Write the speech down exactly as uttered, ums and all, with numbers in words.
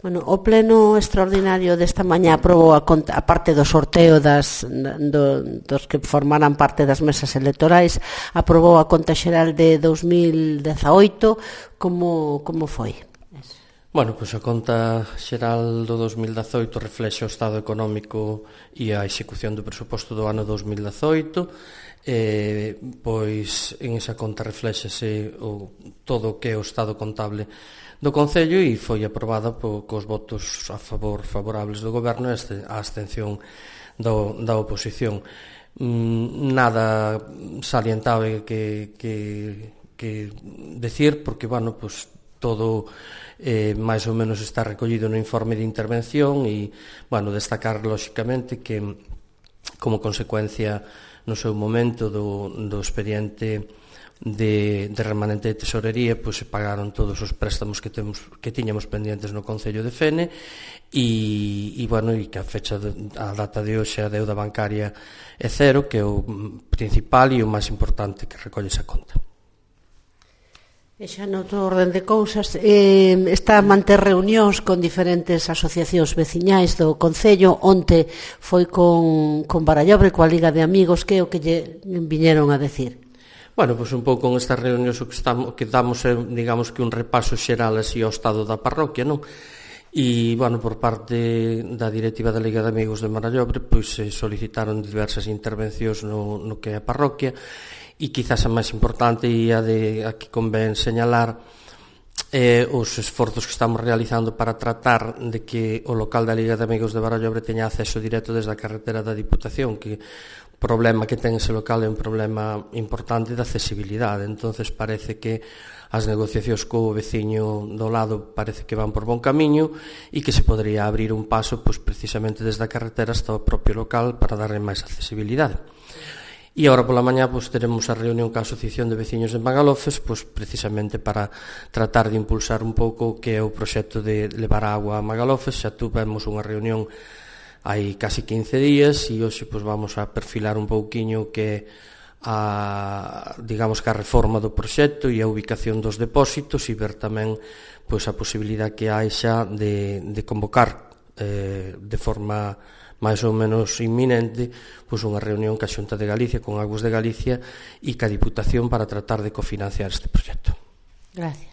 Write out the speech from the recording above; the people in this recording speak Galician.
Bueno, o pleno extraordinario desta mañá aprobou a, a parte do sorteo das, do, dos que formaran parte das mesas electorais, aprobou a conta xeral de dous mil dezaoito. Como, como foi? Bueno, pois a conta xeral do dous mil dezaoito reflexe o estado económico e a execución do presuposto do ano dous mil dezaoito. Eh, pois en esa conta reflexese o, todo o que é o estado contable do Concello e foi aprobada po, cos votos a favor favorables do Goberno e a abstención do, da oposición. Mm, nada salientable que, que, que decir, porque, bueno, pues, todo eh, máis ou menos está recollido no informe de intervención e, bueno, destacar, lóxicamente, que como consecuencia no seu momento do, do expediente de, de remanente de tesorería, pois se pagaron todos os préstamos que temos que tiñamos pendientes no Concello de Fene e, e bueno, e que a fecha de, a data de hoxe a deuda bancaria é cero, que é o principal e o máis importante que recolle esa conta. E xa noutro orden de cousas, eh, está a manter reunións con diferentes asociacións veciñais do Concello. Onte foi con, con Barallobre, coa Liga de Amigos. Que é o que lle viñeron a decir? Bueno, pois un pouco en estas reunións o que, estamos, que damos é, digamos, que un repaso xeral así ao estado da parroquia, non? E, bueno, por parte da directiva da Liga de Amigos de Barallobre, pois se solicitaron diversas intervencións no, no que é a parroquia, e quizás a máis importante e a de a que convén señalar eh, os esforzos que estamos realizando para tratar de que o local da Liga de Amigos de Barallobre teña acceso directo desde a carretera da Diputación, que o problema que ten ese local é un problema importante de accesibilidade. Entonces parece que as negociacións co veciño do lado parece que van por bon camiño e que se podría abrir un paso, pois, precisamente desde a carretera hasta o propio local para darle máis accesibilidade. E agora pola mañá pois, teremos a reunión ca Asociación de Veciños de Magalofes, pois, precisamente para tratar de impulsar un pouco o que é o proxecto de levar agua a Magalofes. Xa tuvemos unha reunión hai casi quince días e hoxe pois, vamos a perfilar un pouquiño que a, digamos que a reforma do proxecto e a ubicación dos depósitos e ver tamén pois, a posibilidade que hai xa de, de convocar eh, de forma máis ou menos inminente, pois unha reunión ca Xunta de Galicia, con Aguas de Galicia e ca Diputación para tratar de cofinanciar este proxecto. Gracias.